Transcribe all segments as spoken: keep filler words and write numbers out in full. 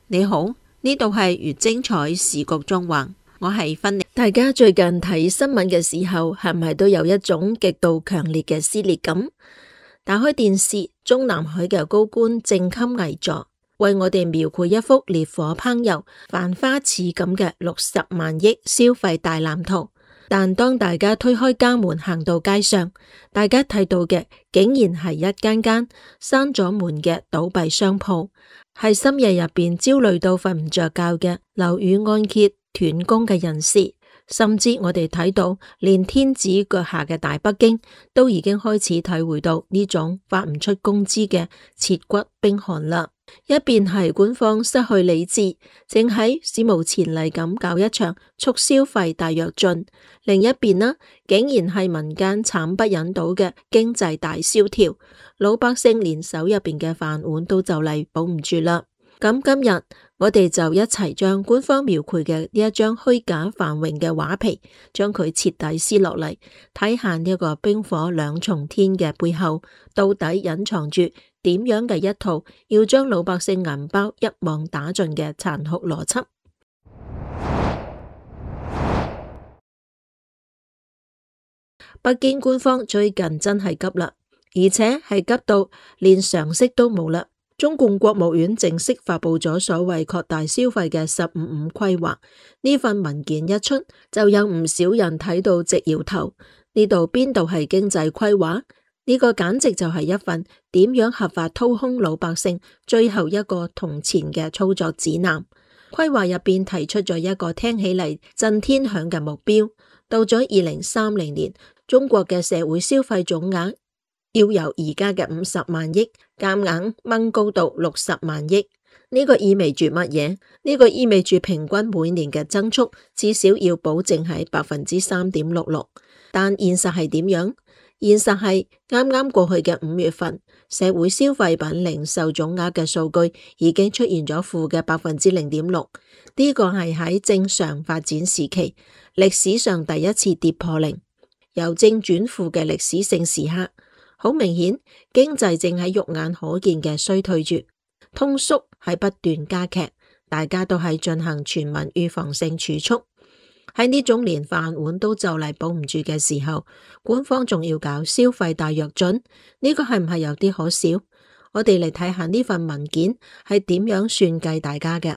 你好，呢度係越精彩時局中環，我係芬妮。大家最近睇新聞嘅時候，係咪都有一種極度強烈嘅撕裂感？打開電視，中南海嘅高官正襟危坐，為我哋描繪一幅烈火烹油、繁花似錦嘅六十萬億消費大藍圖。但當大家推開家門行到街上，大家睇到嘅竟然係一間間閂咗門嘅倒閉商鋪，係深夜入邊焦慮到瞓唔着覺嘅樓宇按揭斷供嘅人士，甚至我哋睇到連天子腳下嘅大北京都已經開始體會到呢種發唔出工資嘅切骨冰寒啦。一邊係官方失去理智，正喺史無前例咁搞一場促消費大躍進；另一邊呢，竟然係民間慘不忍睹嘅經濟大蕭條，老百姓連手入邊嘅飯碗都就嚟保唔住啦。咁今日我哋就一齊將官方描繪嘅呢一張虛假繁榮嘅畫皮，將佢徹底撕落嚟，睇下呢個冰火兩重天嘅背後，到底隱藏住點樣嘅一套要將老百姓銀包一網打盡嘅殘酷邏輯。北京官方最近真係急啦，而且係急到連常識都冇啦。中共國務院正式發佈咗所謂擴大消費嘅十五五規劃，呢份文件一出，就有唔少人睇到直搖頭。呢度邊度係經濟規劃？呢個簡直就係一份點樣合法掏空老百姓最後一個銅錢嘅操作指南。規劃入邊提出咗一個聽起嚟震天響嘅目標，到咗二零三零年，中國嘅社會消費總額要由而家嘅五十萬億夾硬掹高到六十萬億。呢個意味住乜嘢？呢個意味住平均每年嘅增速至少要保證喺百分之三點六六。但現實係點樣？現實係啱啱過去嘅五月份，社會消費品零售總額嘅數據已經出現咗負嘅百分之零點六。呢個係喺正常發展時期歷史上第一次跌破零，由正轉負嘅歷史性時刻。好明顯，經濟正喺肉眼可見嘅衰退住，通縮係不斷加劇，大家都係進行全民預防性儲蓄。喺呢種連飯碗都就嚟保唔住嘅時候，官方仲要搞消費大躍進，呢個係唔係有啲可笑？我哋嚟睇下呢份文件係點樣算計大家嘅，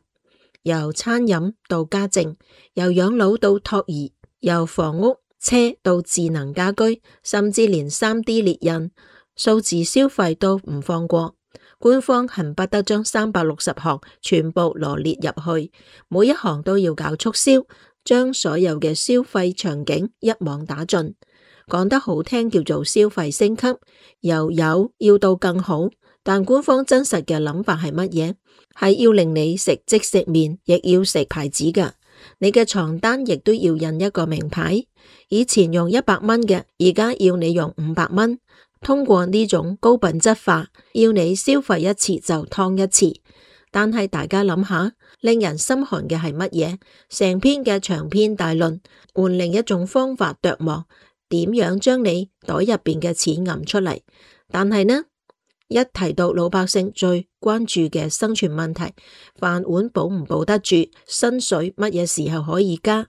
由餐飲到家政，由養老到托兒，由房屋車到智能家居，甚至連 三 D 列印、數字消費都唔放過。官方恨不得將三百六十行全部羅列入去，每一行都要搞促銷，將所有嘅消費場景一網打盡。講得好聽叫做消費升級，由有要到更好。但官方真實嘅諗法係乜嘢？係要令你食即食麵，亦要食牌子㗎。你嘅床單亦都要印一個名牌，以前用一百蚊嘅，而家要你用五百蚊。通過呢種高品質化，要你消費一次就劏一次。但係大家諗下，令人心寒嘅係乜嘢？成篇嘅長篇大論，換另一種方法琢磨，點樣將你袋入邊嘅錢揞出嚟？但係呢，一提到老百姓最關注嘅生存問題，飯碗保唔保得住，薪水乜嘢時候可以加，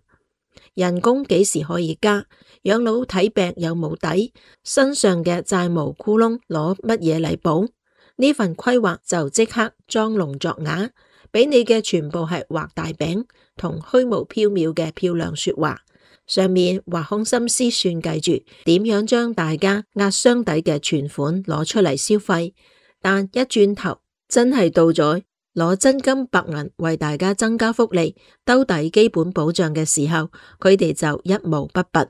人工幾時可以加，養老睇病有冇底，身上嘅債務窟窿攞乜嘢嚟補？呢份規劃就即刻裝聾作啞，俾你嘅全部係畫大餅同虛無縹緲嘅漂亮說話，上面挖空心思算計住點樣將大家壓箱底嘅存款攞出嚟消費，但一轉頭真係到咗攞真金白銀為大家增加福利、兜底基本保障嘅時候，佢哋就一毛不拔，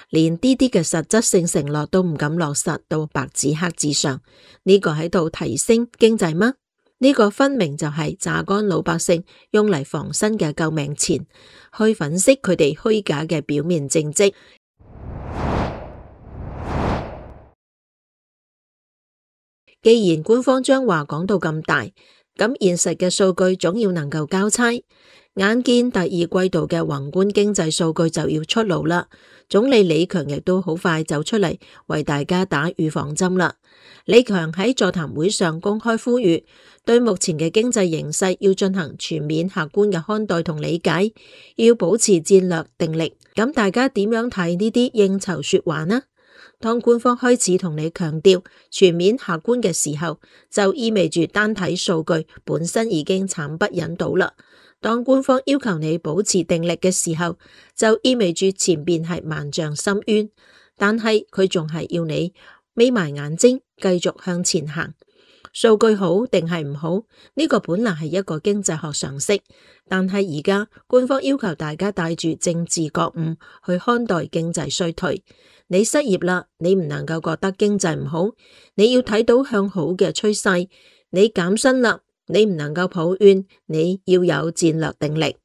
連啲啲嘅實質性承諾都唔敢落實到白紙黑字上。呢個喺度提升經濟嗎？呢個分明就係榨乾老百姓用嚟防身嘅救命錢，去粉飾佢哋虛假嘅表面政績。既然官方將話講到咁大，咁現實嘅數據總要能夠交差。眼見第二季度嘅宏觀經濟數據就要出爐啦，總理李強亦都好快就出嚟為大家打預防針啦。李強喺座談會上公開呼籲，對目前嘅經濟形勢要進行全面客觀嘅看待同理解，要保持戰略定力。咁大家點樣睇呢啲應酬說話呢？當官方開始同你強調全面客觀嘅時候，就意味住單睇數據本身已經慘不忍睹啦。當官方要求你保持定力嘅時候，就意味住前邊係萬丈深淵，但係佢仲係要你眯埋眼睛繼續向前行。數據好定係唔好，呢個本來係一個經濟學常識，但係而家官方要求大家帶住政治覺悟去看待經濟衰退。你失業啦，你唔能夠覺得經濟唔好，你要睇到向好嘅趨勢。你減薪啦，你唔能夠抱怨，你要有戰略定力。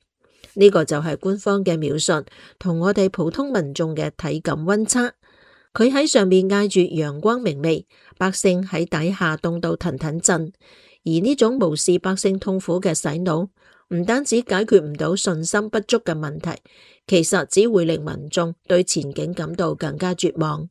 呢個就係官方嘅描述，同我哋普通民眾嘅體感溫差。佢喺上面嗌住陽光明媚，百姓喺底下凍到騰騰震。而呢種無視百姓痛苦嘅洗腦，唔單止解決唔到信心不足嘅問題，其實只會令民眾對前景感到更加絕望。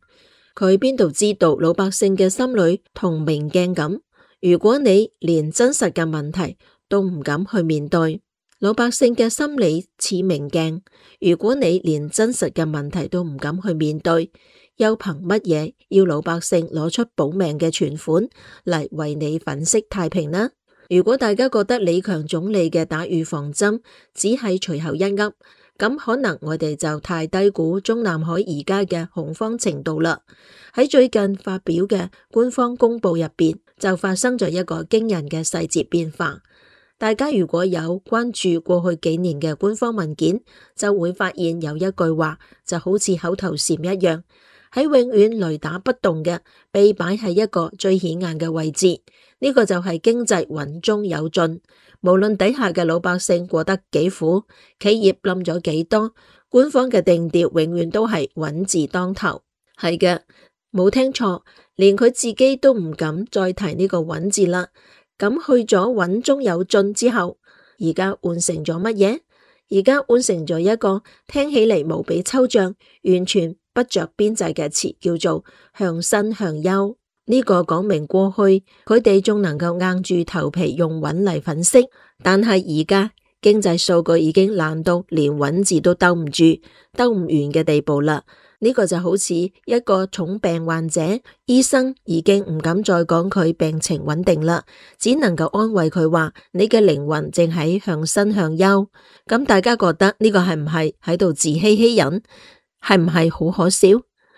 佢邊度知道老百姓嘅心裏同明鏡咁？如果你連真實嘅問題都唔敢去面對，老百姓嘅心理似明鏡。如果你連真實嘅問題都唔敢去面對，又憑乜嘢要老百姓攞出保命嘅存款嚟為你粉飾太平呢？如果大家覺得李強總理嘅打預防針只係隨後一噏，咁可能我哋就太低估中南海而家嘅恐慌程度啦。喺最近發表嘅官方公報入邊，就發生咗一個驚人嘅細節變化。大家如果有關注過去幾年嘅官方文件，就會發現有一句話就好似口頭禪一樣，喺永遠雷打不動嘅被擺喺一個最顯眼嘅位置。呢個就係經濟穩中有進，無論底下嘅老百姓過得幾苦，企業冧咗幾多，官方嘅定調永遠都係穩字當頭。係嘅，冇聽錯，連佢自己都唔敢再提呢個穩字啦。咁去咗穩中有進之後，而家換成咗乜嘢？而家換成咗一個聽起嚟無比抽象、完全不着邊際嘅詞，叫做向新向優。呢個講明過去佢哋仲能夠硬住頭皮用穩嚟粉飾，但係而家經濟數據已經爛到連穩字都兜唔住、兜唔完嘅地步啦。呢個就好似一個重病患者，醫生已經唔敢再講佢病情穩定啦，只能夠安慰佢話你嘅靈魂正喺向新向優。咁大家覺得呢個係唔係喺度自欺欺人？係唔係好可笑？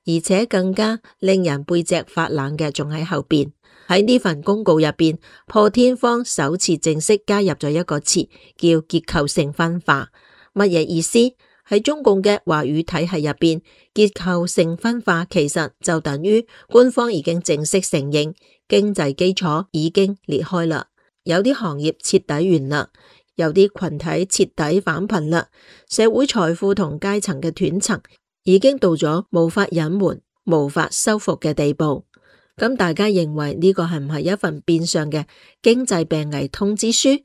而且更加令人背脊發冷嘅仲喺後邊。喺呢份公告入邊，破天荒首次正式加入咗一個詞，叫結構性分化。乜嘢意思？喺中共嘅話語體系入邊，結構性分化其實就等於官方已經正式承認經濟基礎已經裂開啦，有啲行業徹底完啦，有啲群體徹底返貧啦，社會財富同階層嘅斷層已經到咗無法隱瞞、無法修復嘅地步。咁大家認為呢個係唔係一份變相嘅經濟病危通知書？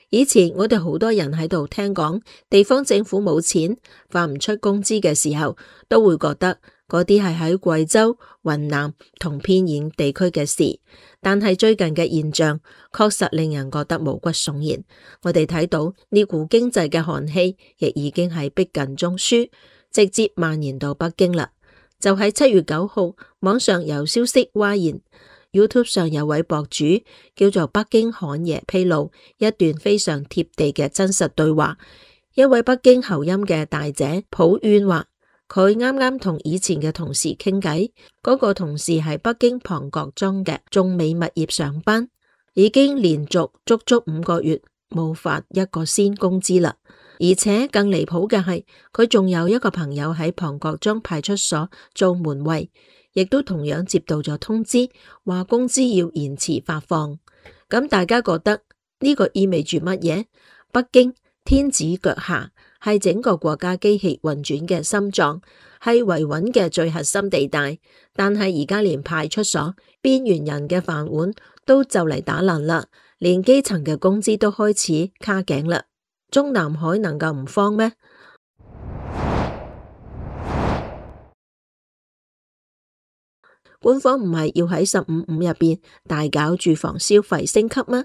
以前我哋好多人喺度聽講地方政府冇錢發唔出工資嘅時候，都會覺得嗰啲係喺貴州、雲南同偏遠地區嘅事。但係最近嘅現象確實令人覺得毛骨悚然。我哋睇到呢股經濟嘅寒氣亦已經係逼近中樞，直接蔓延到北京啦。就喺七月九號，網上有消息嘩然。YouTube 上有位博主叫做北京侃爺披露一段非常貼地嘅真實對話。一位北京口音嘅大姐抱怨話，佢啱啱同以前嘅同事傾偈，嗰個同事喺北京龐各莊嘅眾美物業上班，已經連續足足五個月冇發一個先工資啦。而且更離譜嘅係，佢仲有一個朋友喺龐各莊派出所做門衛，亦都同樣接到咗通知，話工資要延遲發放。咁大家覺得呢個意味住乜嘢？北京天子腳下，係整個國家機器運轉嘅心臟，係維穩嘅最核心地帶。但係而家連派出所邊緣人嘅飯碗都就嚟打爛啦，連基層嘅工資都開始卡頸啦。中南海能夠唔慌咩？官方唔係要喺十五五入邊大搞住房消費升級嗎？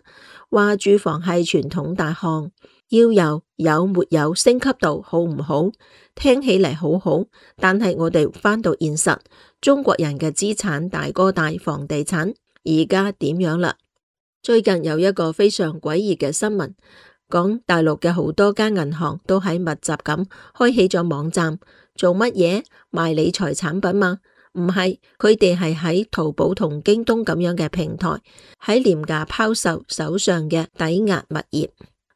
話住房係傳統大項，要由有沒有升級到好唔好，聽起嚟好好，但係我哋返到現實，中國人嘅資產大哥大房地產而家點樣啦？最近有一個非常詭異嘅新聞，講大陸嘅好多間銀行都喺密集咁開起咗網站，做乜嘢？賣理財產品嘛？唔係，佢哋係喺淘寶同京東咁樣嘅平台，喺廉價拋售手上嘅抵押物業。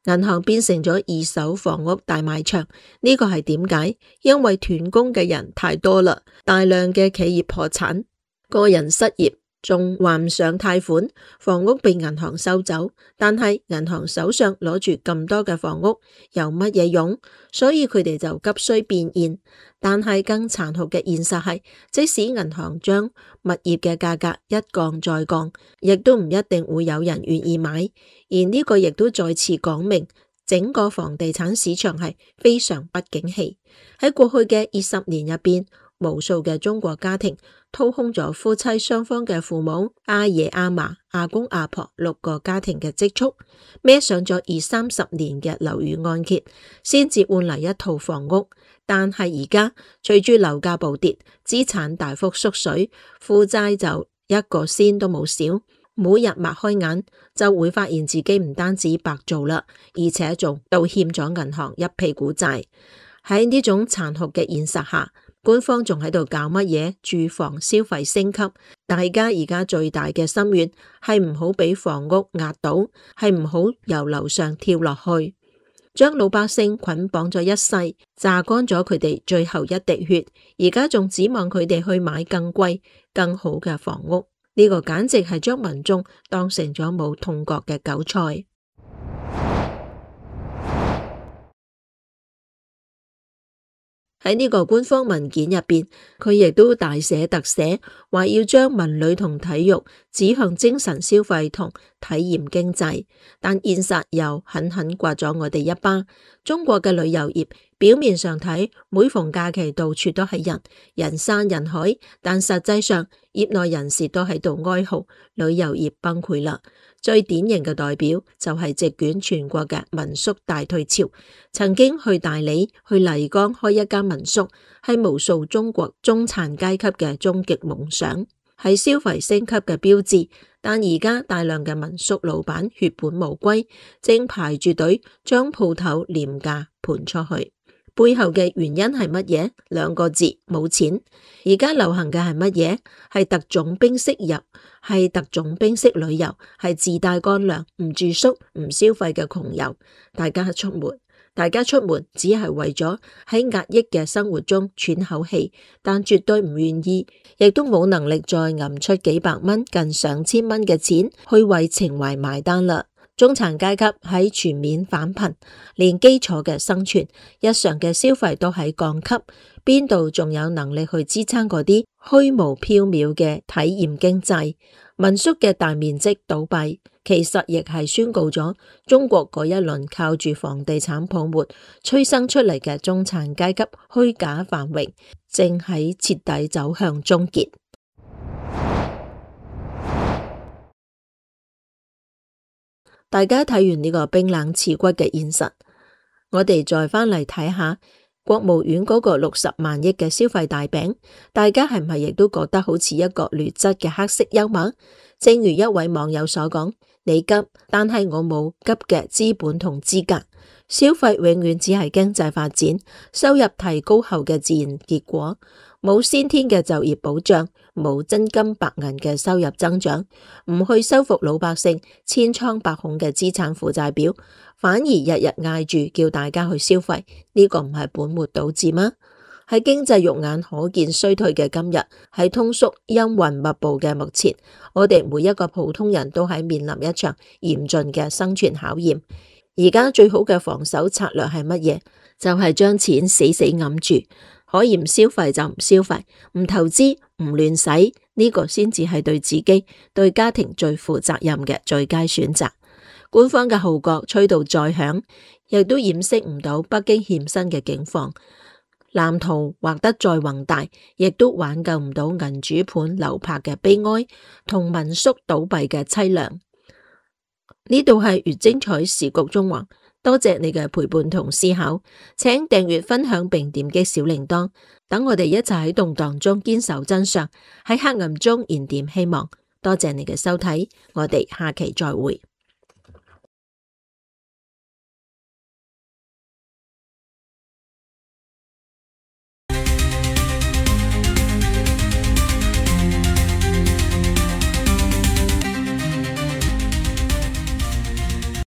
銀行變成咗二手房屋大賣場，呢個係點解？因為斷供嘅人太多啦，大量嘅企業破產，個人失業，仲還唔上貸款，房屋被銀行收走，但係銀行手上攞住咁多嘅房屋有乜嘢用？所以佢哋就急需變現。但係更殘酷嘅現實係，即使銀行將物業嘅價格一降再降，亦都唔一定會有人願意買。而呢個亦都再次講明，整個房地產市場係非常不景氣。喺過去嘅二十年入邊，無數嘅中國家庭掏空咗夫妻雙方嘅父母、阿爺阿嫲、阿公阿婆六個家庭嘅積蓄，孭上咗二三十年嘅樓宇按揭，先至換嚟一套房屋。但係而家隨住樓價暴跌，資產大幅縮水，負債就一個仙都冇少。每日擘開眼就會發現自己唔單止白做啦，而且仲倒欠咗銀行一屁股債。喺呢種殘酷嘅現實下，官方仲喺度搞乜嘢住房消費升級？大家而家最大嘅心願係唔好俾房屋壓倒，係唔好由樓上跳落去。將老百姓捆綁咗一世，榨乾咗佢哋最後一滴血，而家仲指望佢哋去買更貴、更好嘅房屋，呢個簡直係將民眾當成咗冇痛覺嘅韭菜。喺呢個官方文件入邊，佢亦都大寫特寫，話要將文旅同體育指向精神消費同體驗經濟，但現實又狠狠刮咗我哋一巴。中國嘅旅遊業表面上睇，每逢假期到處都係人，人山人海，但實際上業內人士都喺度哀嚎旅遊業崩潰啦。最典型嘅代表就係席捲全國嘅民宿大退潮。曾經去大理、去麗江開一間民宿，係無數中國中產階級嘅終極夢想，係消費升級嘅標誌。但而家大量嘅民宿老闆血本無歸，正排住隊將鋪頭廉價盤出去。背後嘅原因係乜嘢？兩個字：冇錢。而家流行嘅係乜嘢？係特種兵式入，係特種兵式旅遊，係自帶乾糧、唔住宿、唔消費嘅窮遊。大家出門，大家出門只係為咗喺壓抑嘅生活中喘口氣，但絕對唔願意，亦都冇能力再揞出幾百蚊、近上千蚊嘅錢去為情懷買單啦。中產階級喺全面返貧，連基礎嘅生存、日常嘅消費都喺降級，邊度仲有能力去支撐嗰啲虛無縹緲嘅體驗經濟？民宿嘅大面積倒閉，其實亦係宣告咗中國嗰一輪靠住房地產泡沫催生出嚟嘅中產階級虛假繁榮，正喺徹底走向終結。大家睇完呢個冰冷刺骨嘅現實，我哋再返嚟睇下國務院嗰個六十萬億嘅消費大餅，大家係唔係亦都覺得好似一個劣質嘅黑色幽默？正如一位網友所講：你急，但係我冇急嘅資本同資格。消費永遠只係經濟發展、收入提高後嘅自然結果，冇先天嘅就業保障，冇真金白銀嘅收入增長，唔去修復老百姓千瘡百孔嘅資產負債表，反而日日嗌住叫大家去消費，呢個唔係本末倒置嗎？喺經濟肉眼可見衰退嘅今日，喺通縮陰雲密布嘅目前，我哋每一個普通人都喺面臨一場嚴峻嘅生存考驗。而家最好嘅防守策略係乜嘢？就係將錢死死揞住，可以唔消費就唔消費，唔投資唔亂使，呢個先至係對自己對家庭最負責任嘅最佳選擇。官方嘅號角吹到再響，亦都掩飾唔到北京欠薪嘅境況。藍圖畫得再宏大，亦都挽救唔到銀主盤流拍嘅悲哀同民宿倒閉嘅淒涼。呢度係越精彩時局中華，多謝你嘅陪伴同思考，請訂閱分享並點擊小鈴鐺，等我哋一齊喺動盪中堅守真相，喺黑暗中燃點希望。多謝你嘅收睇，我哋下期再會。